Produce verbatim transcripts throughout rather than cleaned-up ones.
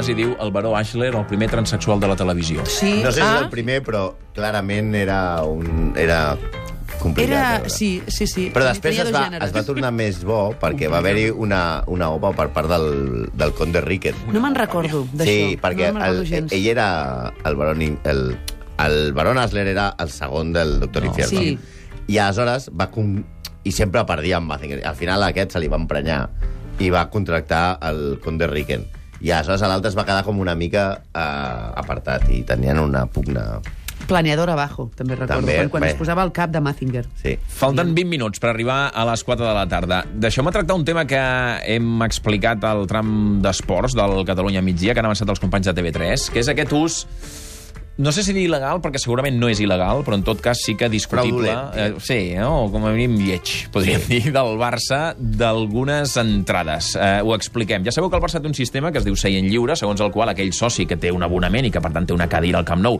Ignasi diu el baró Ashler, el primer transexual de la televisió. Sí. No sé si ah. és el primer, però clarament era un... Era... complicat. Era... Sí, sí, sí. Però després Tenia es dos va, gèneres. es va tornar més bo perquè va haver-hi una, una opa per part del, del conde Ricken. No me'n recordo d'això. Sí, perquè no el, gens. ell era... El baron, el, el baron Asler era el segon del doctor No. Infierno. Sí. I aleshores va... Com, I sempre perdia amb Mazinger. Al final aquest se li va emprenyar i va contractar el conde Ricken. I aleshores l'altre es va quedar com una mica eh, apartat i tenien una pugna... Planeador abajo, també recordo, També, quan, quan bé. es posava el cap de Mazinger. Sí. Falten vint minuts per arribar a les quatre de la tarda. Deixeu-me tractar un tema que hem explicat al tram d'esports del Catalunya Migdia, que han avançat els companys de T V tres, que és aquest ús... No sé si dir il·legal, perquè segurament no és il·legal, però en tot cas sí que discutible. Fraudulent. Eh, sí, no? Com a mínim lleig, podríem sí. dir, del Barça, d'algunes entrades. Eh, ho expliquem. Ja sabeu que el Barça té un sistema que es diu seient lliure, segons el qual aquell soci que té un abonament i que, per tant, té una cadira al Camp Nou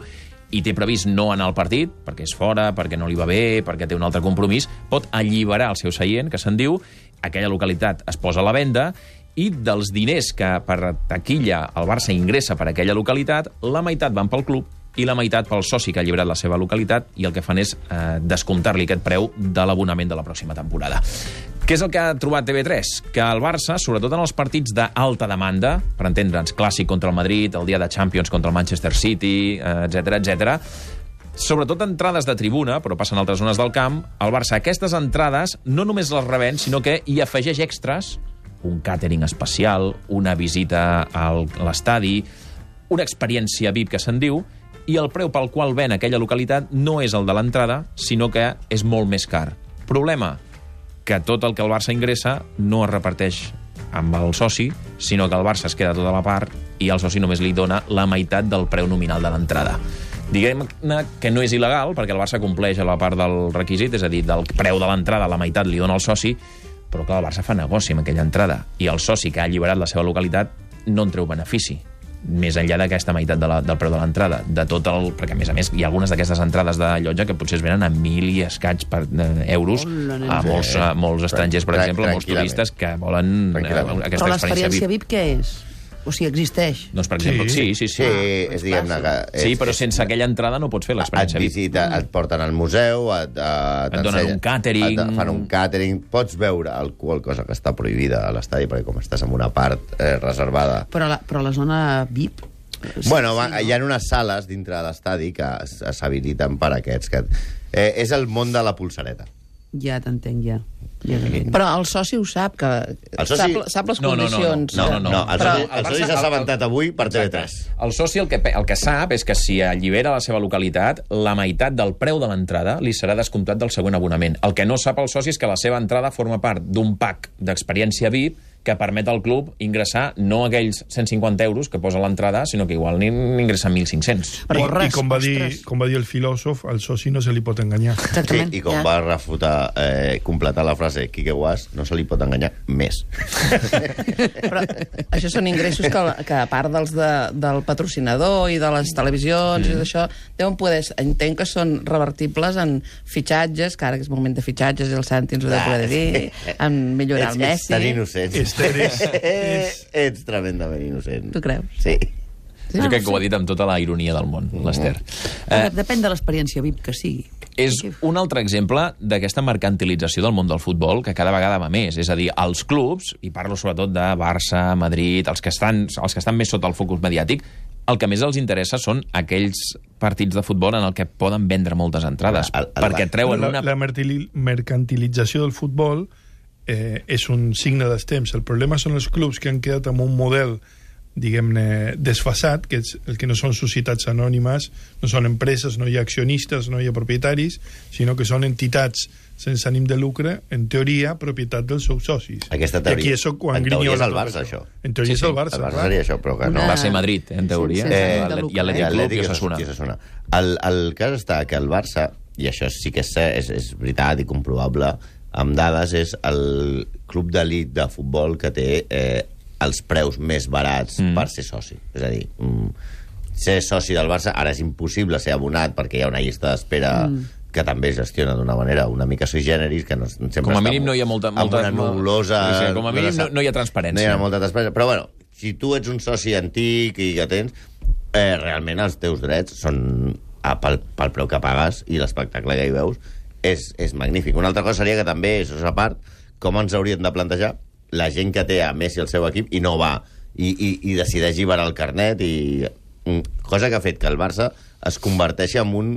i té previst no anar al partit, perquè és fora, perquè no li va bé, perquè té un altre compromís, pot alliberar el seu seient, que se'n diu, aquella localitat es posa a la venda, i dels diners que per taquilla el Barça ingressa per aquella localitat, la meitat van pel club i la meitat pel soci que ha alliberat la seva localitat, i el que fan és eh, descomptar-li aquest preu de l'abonament de la pròxima temporada. Què és el que ha trobat T V tres? Que el Barça, sobretot en els partits d'alta demanda, per entendre'ns, clàssic contra el Madrid, el dia de Champions contra el Manchester City, etcètera, etcètera, sobretot entrades de tribuna, però passen a altres zones del camp, el Barça aquestes entrades no només les revèn, sinó que hi afegeix extras, un càtering especial, una visita a l'estadi, una experiència V I P que se'n diu, i el preu pel qual ven aquella localitat no és el de l'entrada, sinó que és molt més car. Problema, que tot el que el Barça ingressa no es reparteix amb el soci, sinó que el Barça es queda tota la part i el soci només li dona la meitat del preu nominal de l'entrada. Diguem-ne que no és il·legal, perquè el Barça compleix a la part del requisit, és a dir, del preu de l'entrada la meitat li dona el soci, però clar, el Barça fa negoci amb aquella entrada i el soci que ha alliberat la seva localitat no en treu benefici, més enllà d'aquesta meitat de la, del preu de l'entrada, de tot el... Perquè, a més a més, hi ha algunes d'aquestes entrades de llotja que potser es venen a mil i escaig per, eh, euros Hola, a molts, a molts estrangers, per Tran- exemple, molts turistes que volen eh, aquesta Però experiència l'experiència V I P. V I P què és? O sigui, existeix? Doncs, per exemple, sí, sí, sí. Sí, és, diguem-ne que... És, Sí, però sense aquella entrada no pots fer et l'experiència V I P. visita, et porten al museu, et, et, Et donen un càtering. et fan un càtering, pots veure alcohol, cosa que està prohibida a l'estadi, perquè com estàs en una part eh, reservada... Però la, però la zona V I P... Sí, Bueno, va, sí, no? hi ha unes sales dintre de l'estadi que es- s'habiliten per aquests. Que, eh, és el món de la pulsareta. Ja t'entenc, ja. ja t'entenc. Però el soci ho sap, que El soci- sap, sap les No, no, no, no. condicions. No, no, no. no el Però- soci, el soci s'ha assabentat avui per T V tres. El soci el que, pe- el que sap és que si allibera la seva localitat, la meitat del preu de l'entrada li serà descomptat del següent abonament. El que no sap el soci és que la seva entrada forma part d'un pack d'experiència V I P que permet al club ingressar no aquells cent cinquanta euros que posa l'entrada, sinó que igual n'ingressa mil cinc-cents. Però I, res, I com va, dir, ostres. com va dir el filòsof, al soci no se li pot enganyar. Sí, Exactament. i com ja. va refutar, eh, completar la frase Quique Guas, no se li pot enganyar més. Però això són ingressos que, que a part dels de, del patrocinador i de les televisions mm. i d'això, deuen poder... Entenc que són revertibles en fitxatges, que ara que és moment de fitxatges i el Santi ens ho deu poder dir, en millorar ets, el ets Messi. tan innocent. Esther és- és- Ets tremendament innocent. Tu creus? Sí. Jo crec que ho ha dit amb tota la ironia del món, l'Ester. Eh, Depèn de l'experiència V I P que sigui. És un altre exemple d'aquesta mercantilització del món del futbol que cada vegada va més. És a dir, els clubs, i parlo sobretot de Barça, Madrid, els que estan, els que estan més sota el focus mediàtic, el que més els interessa són aquells partits de futbol en el que poden vendre moltes entrades, El- el- perquè treuen la, una... la mertili- mercantilització del futbol eh, és un signe dels temps. El problema són els clubs que han quedat amb un model, diguem-ne, desfasat, que és el que no són societats anònimes, no són empreses, no hi ha accionistes, no hi ha propietaris, sinó que són entitats sense ànim de lucre, en teoria, propietat dels seus socis. Aquesta teoria, I aquí és quan en teoria és grinyola el tot Barça, això. En teoria Sí, és el sí, Barça. El Barça clar. seria això, però que no. Una- Barça i Madrid, en teoria, Sense eh, ànim de lucre. i Atlètic Club i Osasuna. i Osasuna. El, el cas està que el Barça, i això sí que és, és, és veritat i comprovable, amb dades, és el club d'elit de futbol que té eh, els preus més barats mm. per ser soci. És a dir, mm, ser soci del Barça ara és impossible ser abonat perquè hi ha una llista d'espera mm. que també es gestiona d'una manera una mica sui generis, que no, sempre Com a està mínim no hi ha molta... molta amb una nubulosa... Sí, sí, com a mínim no, no hi ha transparència. No hi ha molta transparència, però bueno, si tu ets un soci antic i que tens, eh, realment els teus drets són a, pel, pel preu que pagues i l'espectacle que hi veus és, és magnífic. Una altra cosa seria que també, això és a part, com ens hauríem de plantejar la gent que té a Messi al seu equip i no va, i, i, i decideix lliberar el carnet, i cosa que ha fet que el Barça es converteixi en un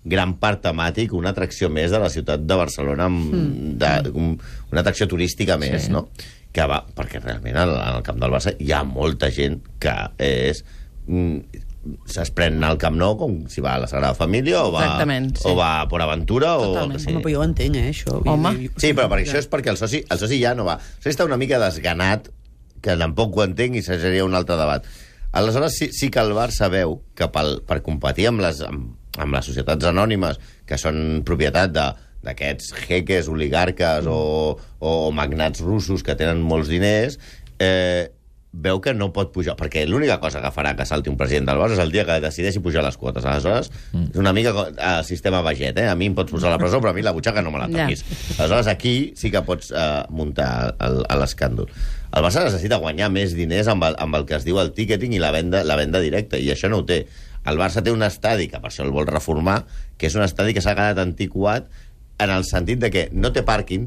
gran parc temàtic, una atracció més de la ciutat de Barcelona, mm. de, un, una atracció turística més, sí. no? Que va, perquè realment en el camp del Barça hi ha molta gent que és... es pren al Camp Nou com si va a la Sagrada Família o va, sí. o va a Port Aventura o... Sí. Home, però jo ho entenc, eh, això. Home. Sí, però per això és perquè el soci, el soci ja no va. El soci està una mica desganat, que tampoc ho entenc i seria un altre debat. Aleshores sí, sí que el Barça veu que pel, per competir amb les, amb, amb les societats anònimes que són propietat de d'aquests jeques, oligarques mm. o, o magnats russos que tenen molts diners, eh, veu que no pot pujar, perquè l'única cosa que farà que salti un president del Barça és el dia que decideixi pujar les quotes. Aleshores, mm. és una mica el sistema Baget, eh? A mi em pots posar a la presó, però a mi la butxaca no me la toquis. Ja. Aleshores, aquí sí que pots eh, muntar l'escàndol. El Barça necessita guanyar més diners amb el, amb el que es diu el ticketing i la venda, la venda directa, i això no ho té. El Barça té un estadi, que per això el vol reformar, que és un estadi que s'ha quedat antiquat en el sentit de que no té pàrquing,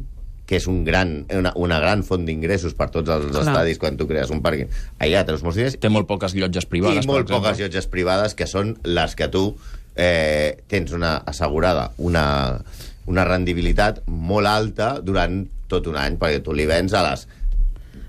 que és un gran, una, una gran font d'ingressos per tots els Clar. estadis quan tu crees un pàrquing. Allà tens molts diners. Té molt poques llotges privades, I molt poques llotges privades, que són les que tu eh, tens una assegurada, una, una rendibilitat molt alta durant tot un any, perquè tu li vens a les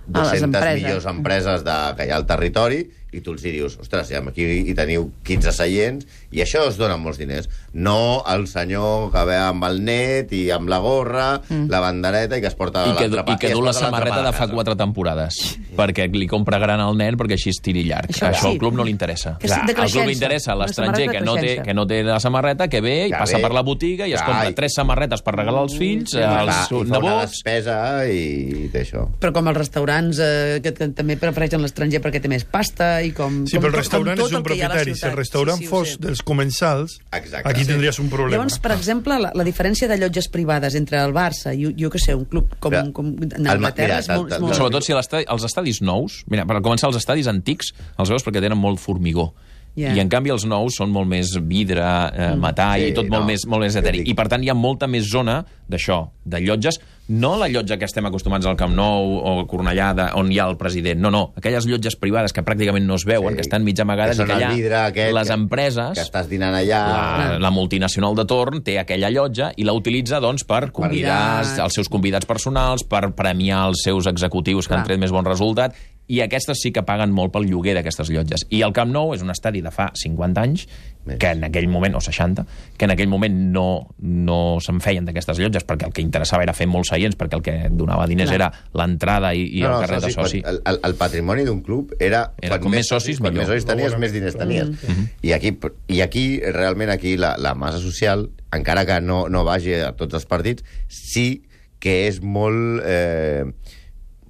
dues-centes millors empreses de, que hi ha al territori, i tu els hi dius, ostres, aquí hi teniu quinze seients, i això es dona molts diners. No el senyor que ve amb el net i amb la gorra, mm. la bandereta, i que es porta I que, i que du la samarreta de fa quatre temporades, perquè li compra gran al nen perquè així es tiri llarg. Això, això al club no li interessa. Clar, al club li interessa l'estranger que, no té, que no té la samarreta, que ve i passa per la botiga i es compra tres samarretes per regalar als fills, als nebots... I despesa i té això. Però com els restaurants eh, que, que també prefereixen l'estranger perquè té més pasta i com... Sí, com, però el restaurant és un propietari. Si el restaurant sí, sí, fos dels comensals, Exacte. aquí tindries un problema. Llavors, per exemple, la, la diferència de llotges privades entre el Barça i, jo què sé, un club com, però, com en Anglaterra és molt... molt... Sobretot si els estadis nous... Mira, per començar, els estadis antics els veus perquè tenen molt formigó. Yeah. I en canvi els nous són molt més vidre, eh, metall, sí, i tot no, molt més, molt més etèric. I per tant hi ha molta més zona d'això, de llotges, no la llotja que estem acostumats al Camp Nou o a Cornellà, de, on hi ha el president, no, no, aquelles llotges privades que pràcticament no es veuen, sí, que estan mig amagades, que i que allà vidre aquest, les empreses, que estàs dinant allà, la, la multinacional de torn té aquella llotja i la utilitza doncs per convidar els seus convidats personals, per premiar els seus executius que Clar. han tret més bon resultat, i aquestes sí que paguen molt pel lloguer d'aquestes llotges. I el Camp Nou és un estadi de fa cinquanta anys, Més. que en aquell moment, o seixanta, que en aquell moment no, no se'n feien d'aquestes llotges, perquè el que interessava era fer molts seients, perquè el que donava diners Clar. era l'entrada i, i no, el carnet de soci. El, el, el patrimoni d'un club era... era com més socis, quan millor. més socis tenies, més diners tenies. Mm -hmm. I, aquí, I aquí, realment, aquí la, la massa social, encara que no, no vagi a tots els partits, sí que és molt... Eh,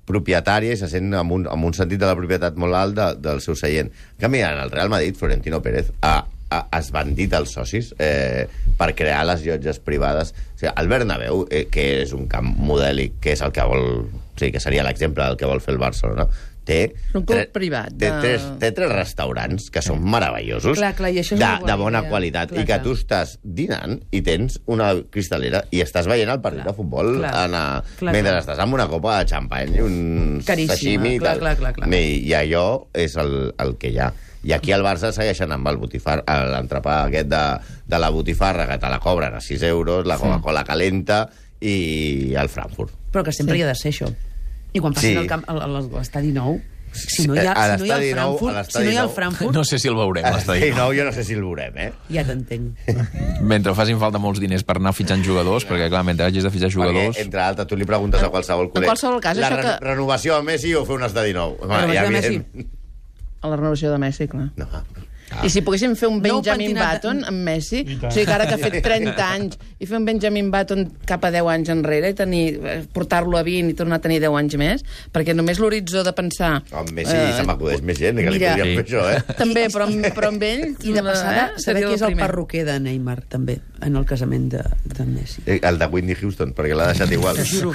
propietària i se sent amb un, amb un sentit de la propietat molt alt de, del seu seient. En canvi, en el Real Madrid, Florentino Pérez ha, ha esbandit els socis eh, per crear les llotges privades. O sigui, el Bernabéu, eh, que és un camp modèlic, que és el que vol... O sigui, que seria l'exemple del que vol fer el Barcelona, té... Un club privat. De... Té, tres, té tres restaurants que són meravellosos, clar, clar, i això és de, bona de bona idea. qualitat, clar, i que clar. tu estàs dinant i tens una cristalera i estàs veient el partit clar. de futbol clar. en a, clar, mentre clar. estàs amb una copa de xampany, un sashimi i tal. Clar, clar, clar. I, I allò és el, el que hi ha. I aquí al Barça segueixen amb el botifar, l'entrepà aquest de, de la botifarra, que te la cobren a sis euros, la Coca-Cola sí. calenta i el Frankfurt. Però que sempre sí. hi ha de ser això. I quan passin sí. l'estadi nou... Si no hi ha, si no hi ha el Frankfurt, nou, si no hi ha el Frankfurt... No sé si el veurem, l'estadi nou. Jo no sé si el veurem, eh? Ja t'entenc. Mentre facin falta molts diners per anar fitxant jugadors, perquè, clar, mentre hagis de fitxar jugadors... Perquè, entre altres, tu li preguntes a qualsevol col·leg... En qualsevol cas, la això re que... renovació a Messi o fer un estadi nou? Home, ja, Messi. A la renovació de Messi, clar. No, Ah. I si poguéssim fer un Benjamin no Button amb Messi, o sigui que ara que ha fet trenta anys, i fer un Benjamin Button cap a deu anys enrere i tenir, portar-lo a vint i tornar a tenir deu anys més, perquè només l'horitzó de pensar... Amb Messi eh, se m'acudeix més gent, que mira, li podríem sí. fer això, eh? També, però, però amb ell... I de passada, eh, saber qui és el perruquer de Neymar, també. en el casament de, de Messi. El de Whitney Houston, perquè l'ha deixat igual. Te juro,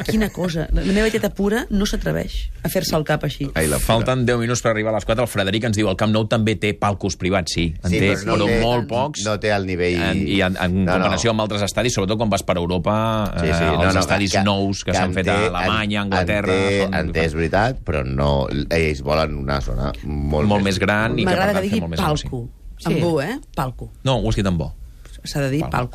quina cosa. La meva tieta pura no s'atreveix a fer-se el cap així. Ai, la Falten deu minuts per arribar a les quatre. El Frederic ens diu el Camp Nou també té palcos privats, sí. En Sí, té, però però, no té- molt pocs. No té el nivell... En, I en, en No, comparació no. amb altres estadis, sobretot quan vas per Europa, Sí, sí, eh, no, els no, estadis que- nous que, que s'han en fet a té- Alemanya, en- Anglaterra... En té, són- en té, és veritat, però no... Ells volen una zona molt, molt més gran i que, per M'agrada tant, que fer digui molt més palco. Sí. Amb bo, eh? Palco. No, ho has dit amb bo. S'ha de dir Palco. palco.